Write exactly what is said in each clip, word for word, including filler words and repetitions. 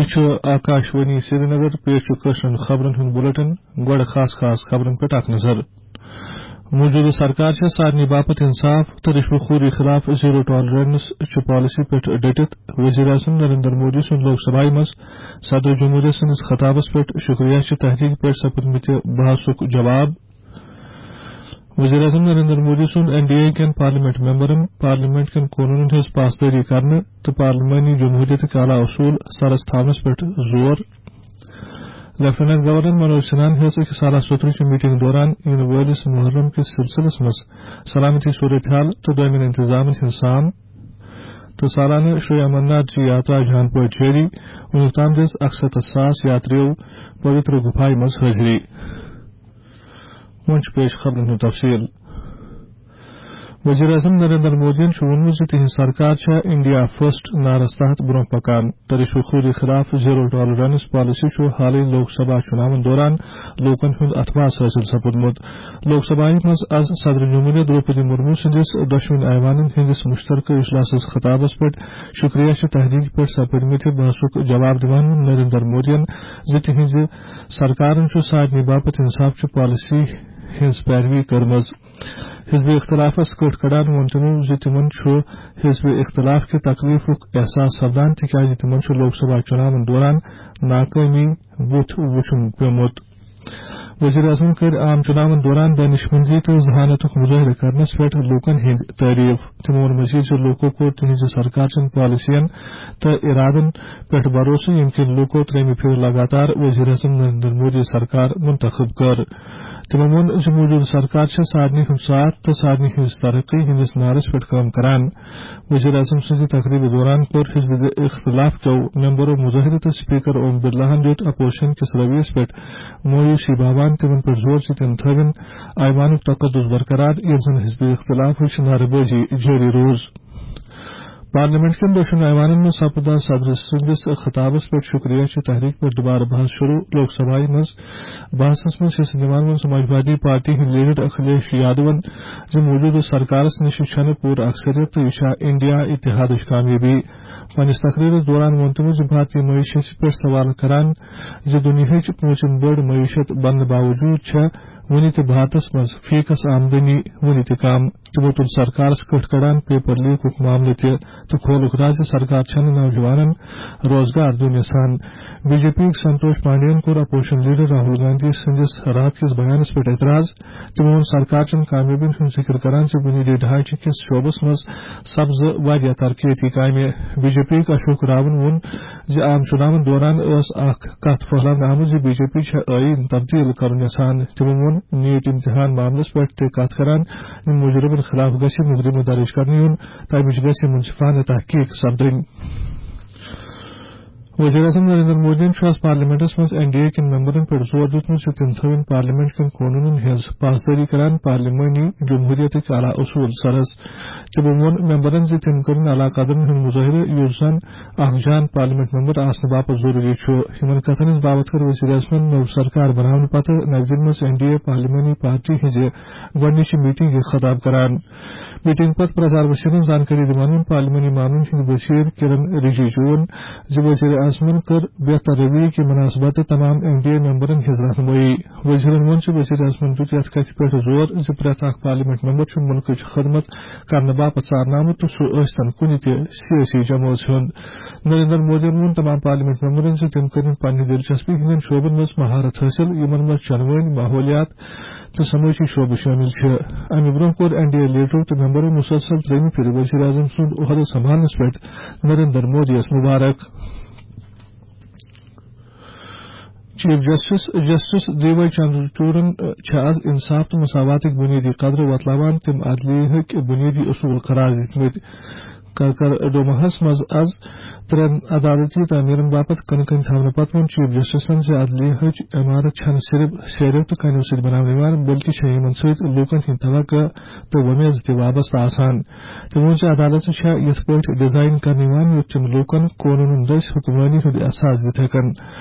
چھُ آکاش وانی سرینگر، پیش چھُ کٲشرٮ۪ن خبرن ہُنٛد بُلٹن۔ گۄڈٕ خاص خاص خبرن پٮ۪ٹھ اکھ نظر۔ موجودٕ سرکار چھےٚ سارنٕے باپتھ انصاف تہٕ رشوٕ خوری خلاف زیرو ٹالرنس چہِ پالیسی پٮ۪ٹھ ڈٔٹِتھ۔ وزیر اعظم نریندر مودی سُنٛد لوک سبھایہ منٛز صدر جمہوریہ سٕنٛدِس خطابس پٮ۪ٹھ شکریہ چہِ تحریک پٮ۪ٹھ سپُدمٕتہِ بحثُک جواب۔ وزیر اعظم نریندر مودی سُنٛد این ڈی اے کٮ۪ن پارلیمنٹ ممبرن پارلیمنٹ کٮ۪ن قونوٗنن ہٕنٛز پاسدٲری کرنہٕ تہٕ پارلیمانی جمہوریتٕکۍ اعلیٰ اصوٗل سرس تھاونس پٮ۪ٹھ زور۔ لیفٹیننٹ گورنر منوج سنہاہن ہیٚژ أکِس اعلیٰ سوترٕچہِ میٹنگ دوران یِنہٕ وٲلِس محرم کِس سلسلس منٛز سلامتی صورتحال تہٕ دوٚیمٮ۪ن انتظامن ہٕنٛز سام تہٕ سالانہٕ شری امرناتھ جی یاترا جان پٲٹھۍ جٲری۔ وُنیُک تام دِژ اکستتھ ساس یاتریو پویتر گُفایہِ منٛز حٲضری۔ وۄنۍ چھُ پیش خبرن ہُنٛد تفصیل۔ وزیر اعظم نریندر مودیَن چھُ ووٚنمُت زِ تِہنٛز سرکار چھےٚ انڈیا فرسٹ نعرس تحت برونٛہہ پکان تہٕ رشوٕ خوری خلاف زیرو ٹالرنس پالیسی چھُ حالٕے لوک سبھا چُناون دوران لوٗکن ہُنٛد اتھواس حٲصِل سپُدمُت۔ لوک سبھایہ منٛز از صدر جمہوریہ درٛوپدی مرمو سٕنٛدِس دۄشوٕنی ایوانن ہٕنٛدِس مشترکہٕ اجلاسس خطابس پٮ۪ٹھ شکریہ چہِ تحریک پٮ۪ٹھ سپٕدمٕتہِ بحثُک جواب دِوان ووٚن نریندر مودیَن زِ تِہنٛزِ سرکارن چھُ سارنٕے باپتھ انصاف چہِ پالیسی ہٕنٛز پیروی کٔرمٕژ۔ حزب اختلافس کٔٹھ کڑان ووٚن تِمو زِ تِمن چھُ حزب اختلاف کہِ تکلیفُک احساس سپدان، تِکیازِ تِمن چھُ لوک سبھا چُناون دوران ناکٲمی بُتھ وُچھُن پیومُت۔ وزیر اعظمن کٔر عام چُناون دوران دانشمندی تہٕ ذہانتُک مظٲہرٕ کرنس پٮ۪ٹھ لوٗکن ہٕنٛدۍ تعریف۔ تِمو ووٚن مزید زِ لوٗکو کوٚر تِہنٛزِ سرکار چٮ۪ن پالیسین تہٕ ارادن پٮ۪ٹھ بھروسہٕ، ییٚمہِ کِنۍ لوٗکو ترٛیٚیمہِ پھِرِ لگاتار وزیر اعظم نریندر مودی سرکار منتخب کٔر۔ تِمو ووٚن زِ موجودٕ سرکار چھےٚ سارنٕے ہُنٛد ساتھ تہٕ سارنٕے ہٕنٛز ترقی ہٕنٛدِس نعرس پٮ۪ٹھ کٲم کران۔ وزیر اعظم سٕنٛزِ تقریبہِ دوران کوٚر حزب اختلاف کیو ممبرو مظاہرٕ تہٕ اسپیکر اوم برلاہن دیُت اپوزیشن کِس رویس پٮ۪ٹھ مایوسی باوان تِمن پٮ۪ٹھ زور زِ تِم تھٲوِن ایوانُک تقدس برقرار، ییٚلہِ زن حزب اختلافٕچ نعرٕ بٲزی جٲری روٗز۔ پارلیمنٹ کٮ۪ن دۄشن ایوانن منٛز سپُد آز صدر سٕنٛدِس خطابس پٮ۪ٹھ شکریہ چہِ تحریک پٮ۪ٹھ دوبارٕ بحث شروع۔ لوک سبھایہ منٛز بحثس منٛز حصہٕ نِوان ووٚن سماجوادی پارٹی ہٕنٛدۍ لیڈر اکھلیش یادون زِ موجودٕ سرکارس نِش چھنہٕ پوٗرٕ اکثریت تہٕ یہِ چھےٚ انڈیا اتحادٕچ کامیٲبی۔ پننِس تقریرس دوران ووٚن تِمو زِ بھارتی معیشت پٮ۪ٹھ سوال کران زِ دُنیاہٕچ پوٗنٛژِم بٔڑ معیشت بننہٕ باوجوٗد چھےٚ وُنہِ تہِ بھارتس منٛز فی کس آمدنی وُنہِ تہِ کم۔ تِمو تُل سرکارس کٔٹھ کڑان پیپر لیکُک معاملہٕ تہِ تہٕ کھولُکھ راز زِ سرکار چھنہٕ نوجوانن روزگار دیُن یژھان۔ بی جے پی یُک سنتوش پانڈین کوٚر اپوزیشن لیڈر راہل گاندھی سٕنٛدِس راتھ کِس بیانس پٮ۪ٹھ اعتراض۔ تِمو ووٚن سرکار چٮ۪ن کامیٲبین ہُنٛد ذِکر کران زِ بُنیٲدی ڈھانچہٕ کِس شعبس منٛز سپزٕ واریاہ ترقیتی کامہِ۔ بی جے پی یُک اشوک راون ووٚن زِ عام چُناون دوران ٲس اکھ کتھ پھٔہلاونہٕ آمٕژ زِ بی جے پی چھےٚ ٲییٖن تبدیل کرُن یژھان۔ تِمو ووٚن نیٹ امتحان معاملس پٮ۪ٹھ تہِ کتھ کران زِ مجرمن خلاف گژھِ مقدمہٕ درج کرنہٕ یُن، تمِچ گژھِ منصفانہٕ تحقیق سپدٕنۍ۔ وزیر اعظم نریندر مودیَن چھُ آز پارلیمنٹس منٛز این ڈی اے کٮ۪ن ممبرن پٮ۪ٹھ زور دیُتمُت زِ تِم تھٲوِن پارلیمنٹ کٮ۪ن قونوٗنن ہٕنٛز پاسدٲری کران پارلیمانی جمہوریتٕکۍ اعلیٰ اصوٗل سرس۔ تِمو ووٚن ممبرن زِ تِم کرن اعلیٰ قدرن ہُنٛد مظٲہرٕ، یُس زن اکھ جان پارلیمنٹ ممبر آسنہٕ باپتھ ضروٗری چھُ۔ یِمن کتھن ہٕنٛز باوتھ کٔر وزیر اعظمن نٔو سرکار بناونہٕ پتہٕ نَوِ دِلہِ منٛز این ڈی اے پارلیمانی پارٹی ہٕنٛزِ گۄڈٕنِچہِ میٹنگہِ خطاب کران۔ میٹنگ پتہٕ پرچار وزیرن زانکٲری دِوان ووٚن پارلیمانی معاملن ہٕنٛدۍ وزیر کرن رجیجوَن زِ وزیر اعظمن کٔر بہتر رویہ کہِ مناسبت تمام این ڈی اے ممبرن ہٕنٛز رہنمٲیی۔ وزیرن ووٚن زِ وزیر اعظمن دیُت یتھ کتھِ پٮ۪ٹھ زور زِ پرٛٮ۪تھ اکھ پارلیمنٹ ممبر چھُ مُلکٕچ خدمت کرنہٕ باپتھ ژارنہٕ آمُت تہٕ سُہ ٲسۍتن کُنہِ تہِ سیٲسی جمٲژ ہُنٛد۔ نریندر مودیَن ووٚن تمام پارلیمنٹ ممبرن زِ تِم کٔرِن پننہِ دلچسپی ہٕنٛدٮ۪ن شعبن منٛز مہارت حٲصِل، یِمن منٛز چنوٲنۍ، ماحولیات، تہٕ سمٲجی شعبہٕ شٲمِل چھِ۔ امہِ برٛونٛہہ کوٚر این ڈی اے لیڈرو تہٕ ممبرو مسلسل ترٛیٚیِمہِ پھِرِ وزیر اعظم سُنٛد عہدٕ سنبھالنس پٮ۪ٹھ نریندر مودیَس مبارک۔ Chief justice justice D Y چندرچوڑن چھِ از انصاف تہٕ مساواتٕکۍ بنیٲدی قدر وۄتلاوان تِم عدلیہٕکۍ بنیٲدی اصوٗل قرار دِتمٕتۍ۔ کاکر ڈوماہس منٛز از ترٛٮ۪ن عدالتی تعمیرن باپتھ کٕنہٕ کٕنۍ تھاونہٕ پتہٕ ووٚن چیف جسٹسن زِ عدلیہٕچ عمارت چھنہٕ صرف سیرٮ۪و تہٕ کنیو سۭتۍ بناونہٕ یِوان، بلکہِ چھےٚ یِمن سۭتۍ لوٗکن ہٕنٛدۍ توقع تہٕ وۄمید تہِ وابستہٕ آسان۔ تٔمۍ ووٚن زِ عدالتہٕ چھےٚ یِتھ پٲٹھۍ ڈیزائن کرنہٕ یِوان، یُتھ تِم لوٗکن قونوٗنن دٔسۍ حکمرٲنی ہُنٛد احساس دِتھ ہٮ۪کن۔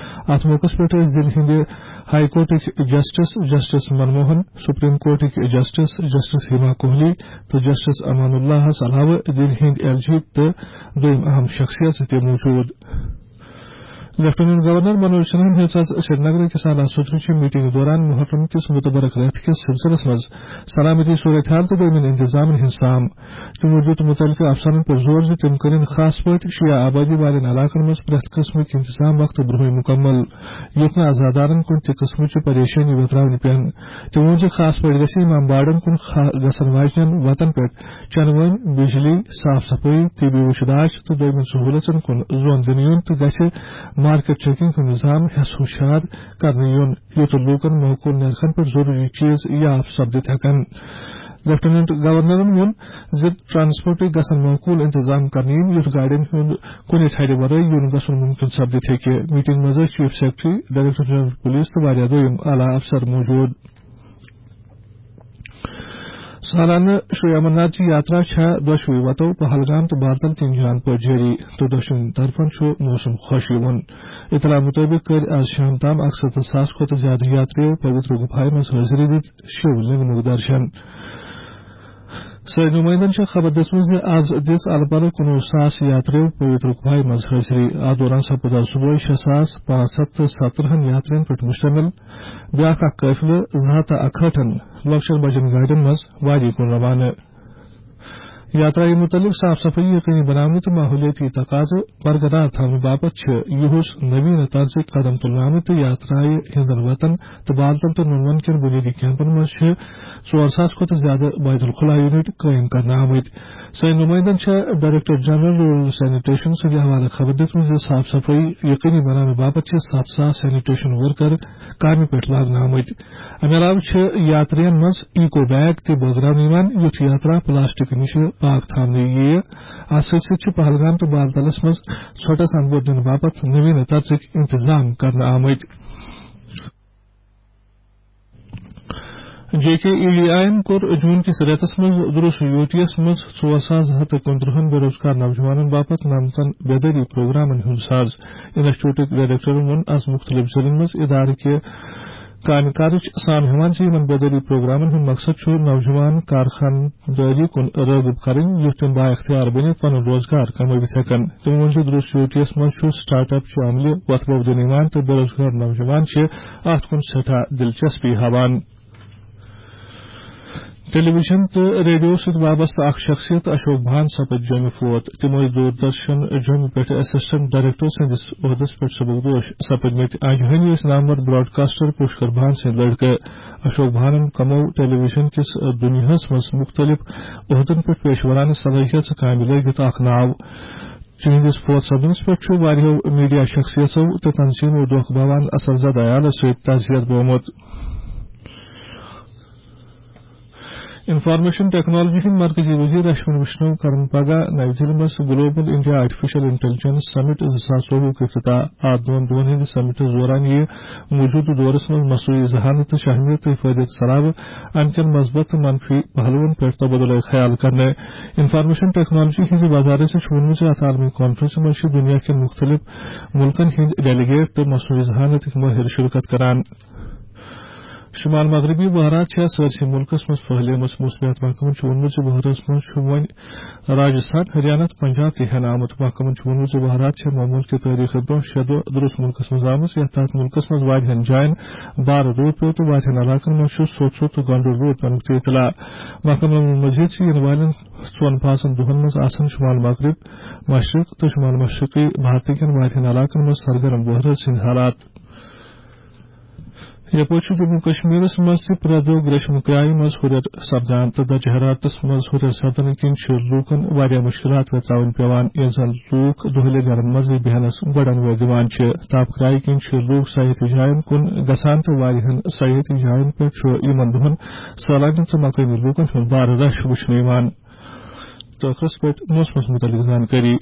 اتھ موقعس پٮ۪ٹھ ٲسۍ دِلہِ ہٕنٛدِ ہائی کورٹٕکۍ جسٹس، جسٹس منموہن، سپریم کورٹٕکۍ جسٹس، جسٹس ہیما کوہلی تہٕ جسٹس امان اللہس علاوٕ دِلہِ ہٕنٛدۍ ایل جی تہٕ دوٚیم اہم شخصیژٕ تہِ موجود۔ لیفٹیننٹ گورنر منوج سنہاہن ہیٚژ آز سرینگر أکِس اعلیٰ سطحٕچہِ میٹنگ دوران محرم کِس متبرک رٮ۪تھ کِس سلسلس منٛز سلامتی صورتحال تہٕ دوٚیمٮ۪ن انتظامن ہٕنٛز سام۔ تِمو دِیُت مُتعلقہٕ افسرن پٮ۪ٹھ زور زِ تِم کٔرِن خاص پٲٹھۍ شیعہ آبادی والٮ۪ن علاقن منٛز پرٛٮ۪تھ قٕسمٕکۍ انتظام وقتہٕ برٛونٛہٕے مُکمل، یُتھ نہٕ عزادارن کُنہِ تہِ قٕسمٕچہِ پریشٲنی وٮ۪تراونہِ پٮ۪ن۔ تِمو ووٚن زِ خاص پٲٹھۍ گژھِ امام باڑن کُن خا-، گژھن واجنٮ۪ن وتن پٮ۪ٹھ چنہٕ وٲنۍ، بجلی، صاف صفٲیی، طبی وُچھ داش تہٕ دوٚیمٮ۪ن سہوٗلژن کُن زون دِنہٕ یُن تہٕ گژھِ مارکیٹ چیکنگ ہُنٛد نظام ہٮ۪س ہُشار کرنہٕ یُن، یُتھ لوٗکن معقول نرخن پٮ۪ٹھ ضروٗری چیز یاف سپدِتھ ہٮ۪کن۔ لیفٹیننٹ گورنرن ووٚن زِ ٹرانسپورٹٕکۍ گژھن معقول انتظام کرنہٕ یِنۍ، یُتھ گاڑٮ۪ن ہُنٛد کُنہِ ٹھرِ ورٲے یُن گژھُن مُمکِن سپدِتھ ہیٚکہِ۔ میٹنگ منٛز ٲسۍ chief secretary, director general police تہٕ واریاہ دوٚیِم اعلیٰ افسر موجود۔ سالانہٕ شری امرناتھ جی یاترا چھےٚ دۄشوٕے وتو پہلگام تہٕ بارتل کِنۍ جان پٲٹھۍ جٲری تہٕ دۄشوٕنی طرفن چھُ موسم خۄش یِوان۔ اطلاع مُطٲبِق کٔرۍ آز شام تام اکھ ستتھ ساس کھۄتہٕ زیادٕ یاترِیو پویتر گُفایہِ منٛز حٲضری دِتھ شِو لنگمُک درشن۔ سٲنۍ نُمٲیندن چھےٚ خبر دِژمٕژ زِ آز دِژ الہٕ پلہٕ کُنوُہ ساس یاترِیو پویتر گُفایہِ منٛز حٲضری۔ اتھ دوران سپُد آز صبحٲے شےٚ ساس پانٛژھ ہتھ تہٕ ستترٕہن یاترِین پٮ۪ٹھ مشتمل بیٛاکھ اکھ قٲفلہٕ زٕ ہتھ تہٕ اکہٲٹھن لۄکچن بجن گاڑٮ۪ن منٛز وادی کُن روانہٕ۔ یاترایہِ مُتعلق صاف صفٲیی یقینی بناونہٕ تہٕ ماحولیٲتی تقاضہٕ برقرار تھاونہٕ باپتھ چھِ یُہُس نویٖنہٕ طرزٕکۍ قدم تُلنہٕ آمٕتۍ تہٕ یاترایہِ ہٕنٛزن وتن تہٕ بالتل تہٕ نُنون کٮ۪ن بُنیٲدی کیمپن منٛز چھِ ژور ساس کھۄتہٕ زیادٕ بیت الخلا یونٹ قٲیِم کرنہٕ آمٕتۍ۔ سٲنۍ نُمٲیندن چھےٚ ڈائریکٹر جنرل رورل سینیٹیشن سٕنٛدِ حوالہٕ خبر دِژمٕژ زِ صاف صفٲیی یقینی بناونہٕ باپتھ چھِ ستھ ساس سینیٹیشن ورکر کامہِ پٮ۪ٹھ لاگنہٕ آمٕتۍ۔ امہِ علاوٕ چھِ یاترین منٛز ایکو بیگ تہِ بٲگراونہٕ یِوان، یُتھ یاترا پلاسٹک نِش پاک تھاونہٕ یِیہِ۔ اتھ سۭتۍ سۭتۍ چھِ پہلگام تہٕ بالتلس منٛز ژھۄٹس اندپور دِنہٕ باپتھ نویٖنہٕ طرزٕکۍ انتظام کرنہٕ آمٕتۍ۔ J K E D I یَن کوٚر جون کِس رٮ۪تَس منٛز دُرُس یو ٹی یَس منٛز ژور ساس زٕ ہَتھ تہٕ کُنترٕٛہَن بے روزگار نوجوانَن باپتھ نَمتَن بیدٲری پروگرامَن ہُنٛد ساز۔ انسٹیٹیوٹٕکۍ ڈائریکٹرَن ووٚن آز مُختٔلِف ضلعن منٛز ادارٕ کہِ کامہِ کارٕچ سام ہٮ۪وان زِ یِمَن بیدٲری پروگرامَن ہُنٛد مقصد چھُ نوجوان کارخانہٕ دٲری کُن رٲغب کرٕنۍ، یُتھ تِم بااختیار بٔنِتھ پنُن روزگار کمٲوِتھ ہٮ۪کن۔ تٔمۍ ووٚن زِ دُرُس یو ٹی یَس منٛز چھُ سٹارٹ اپ چہِ عملہِ وۄتھٕ بوٚو دِنہٕ یِوان تہٕ بے روزگار نوجوان چھِ اتھ کُن سٮ۪ٹھاہ دلچسپی ہاوان۔ ٹیلی ویژن تہٕ ریڈیو سۭتۍ وابستہٕ اکھ شخصیت اشوک بھان سپٕدۍ جوٚمہِ فوت۔ تِم ٲسۍ دوردرشن جوٚمہِ پٮ۪ٹھ اسسٹنٹ ڈائریکٹر سٕنٛدِس عہدس پٮ۪ٹھ سبکدوش سپٕدمٕتۍ۔ انجہٲنی ٲسۍ نامور براڈکاسٹر پُشکر بھان سٕنٛدۍ لڑکہٕ۔ اشوک بھانن کموو ٹیلی ویژن کِس دُنیاہس منٛز مُختٔلِف عہدن پٮ۪ٹھ پیشورانہٕ صلٲحیژٕ کامہِ لٲگِتھ اکھ ناو۔ تِہنٛدِس فوت سپدنس پٮ۪ٹھ چھُ واریاہو میڈیا شخصیژو تہٕ تنظیمو دۄکھ باوان اثر زدہ عیالس سۭتۍ تعزیت بومُت۔ انفارمیشن ٹیکنالوجی ہٕنٛدۍ مرکزی وزیر اشونی ویشنو کرن پگاہ نئی دہلی منٛز گلوبل انڈیا آرٹیفیشل انٹیلیجنس سمٹ زٕ ساس ژوٚوُہ افتتاح۔ اتھ دۄن دۄہن ہٕنٛدِس سمٹس دوران یِیہِ موجودٕ دورس منٛز مصنوعی ذہانت تہٕ شہمیت تہٕ حفاظت صلاح امہِ کٮ۪ن مثبت تہٕ منفی پہلوَن پٮ۪ٹھ تبادلہ خیال کرنہٕ۔ انفارمیشن ٹیکنالوجی ہٕنٛزِ وزارت چھُ ووٚنمُت زِ اتھ عالمی کانفرنسہِ منٛز چھِ دُنیا کٮ۪ن مُختٔلِف مُلکن ہٕنٛدۍ ڈیلیگیٹ تہٕ مصنوعی ذہانتٕکۍ مٲہِر شرکت کران۔ شمال مغربی بحرات چھےٚ سٲرسٕے مُلکس منٛز پھٔہلیمٕژ۔ موسمیات محکمن چھُ ووٚنمُت زِ بحرس منٛز چھُ وۄنۍ راجستھان، ہریانہ تہٕ پنجاب تہِ ہٮ۪نہٕ آمُت۔ محکمن چھُ ووٚنمُت زِ بحرات چھےٚ معمول کہِ تٲریخہٕ برٛونٛہہ شےٚ دۄہ دُرُس مُلکس منٛز آمٕژ، یتھ تحت مُلکس منٛز واریاہن جاین بارٕ روٗد پیوٚو تہٕ واریاہن علاقن منٛز چھُ سوٚت سوٚت تہٕ گنڈُل روٗد پینُک تہِ اطلاع۔ محکمن ووٚن مزید زِ یِنہٕ والٮ۪ن ژۄن پانٛژن دۄہن منٛز آسن شمال مغرب، مشرق تہٕ شمال مشرقی بھارتہٕ کٮ۪ن واریاہن علاقن منٛز سرگرم بحرس ہٕنٛدۍ حالات۔ یپٲرۍ چھُ جموں کشمیرس منٛز تہِ پرٛٮ۪تھ دۄہ گریشم کرایہِ منٛز ہُرٮ۪ر سپدان تہٕ درجہ حرارتس منٛز ہُرٮ۪ر سپدنہٕ کِنۍ چھِ لوٗکن واریاہ مُشکِلات وٮ۪ژراوٕنۍ پٮ۪وان، ییٚلہِ زن لوٗکھ دۄہلہِ گرن منٛزٕے بیہنس گۄڈن وٲلۍ دِوان چھِ۔ تاپہٕ کرایہِ کِنۍ چھِ لوٗکھ سیاحتی جاین کُن گژھان تہٕ واریاہن سیاحتی جاین پٮ۪ٹھ چھُ یِمن دۄہن سٲلانٮ۪ن تہٕ مقٲمی لوٗکن ہُنٛد بارٕ رش وُچھنہٕ یِوان۔ تہٕ ٲخرس پٮ۪ٹھ موسمس مُتعلق زانکٲری۔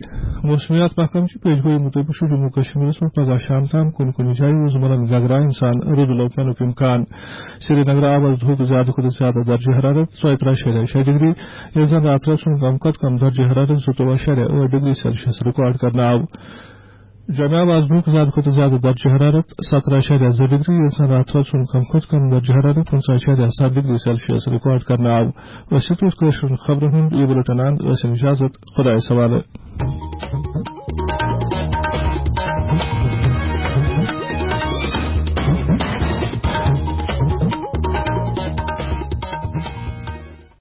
موسمیات محکمہٕ چہِ پیشگویی مُطٲبِق چھُ جموں کشمیرس منٛز پگاہ شام تام کُنہِ کُنہِ جایہِ وُزملن گگرایَن سان رُدٕ لوٚو پینُک امکان۔ سرینگرٕ آو آز دُہُک زیادٕ کھۄتہٕ زیادٕ درجہ حرارت ژۄیہِ ترٕٛہ اَشاریہ شےٚ ڈگری، ییٚلہِ زن راتہٕ رٲژ ہُنٛد کم کھۄتہٕ کم درجہ حرارت زٕتووُہ اَشاریہ ٲٹھ ڈگری سیلسیس ریکارڈ کرنہٕ آو۔ جوٚمہِ آو آز دُہُک زیادٕ کھۄتہٕ زیادٕ درجہ حرارت سترٕٛہ اَشاریہ زٕ ڈگری، ییٚلہِ زن راتہٕ رٲژ ہُنٛد کم کھۄتہٕ کم درجہ حرارت پٕنٛژٕہ اَشاریہ ستھ ڈگری سیلسیس ریکارڈ کرنہٕ آو۔ ٲسِو تُہۍ کٲشرٮ۪ن خبرن ہُنٛد یہِ بُلٹن اند، ٲسِن اجازت، خۄدایَس حوالہٕ۔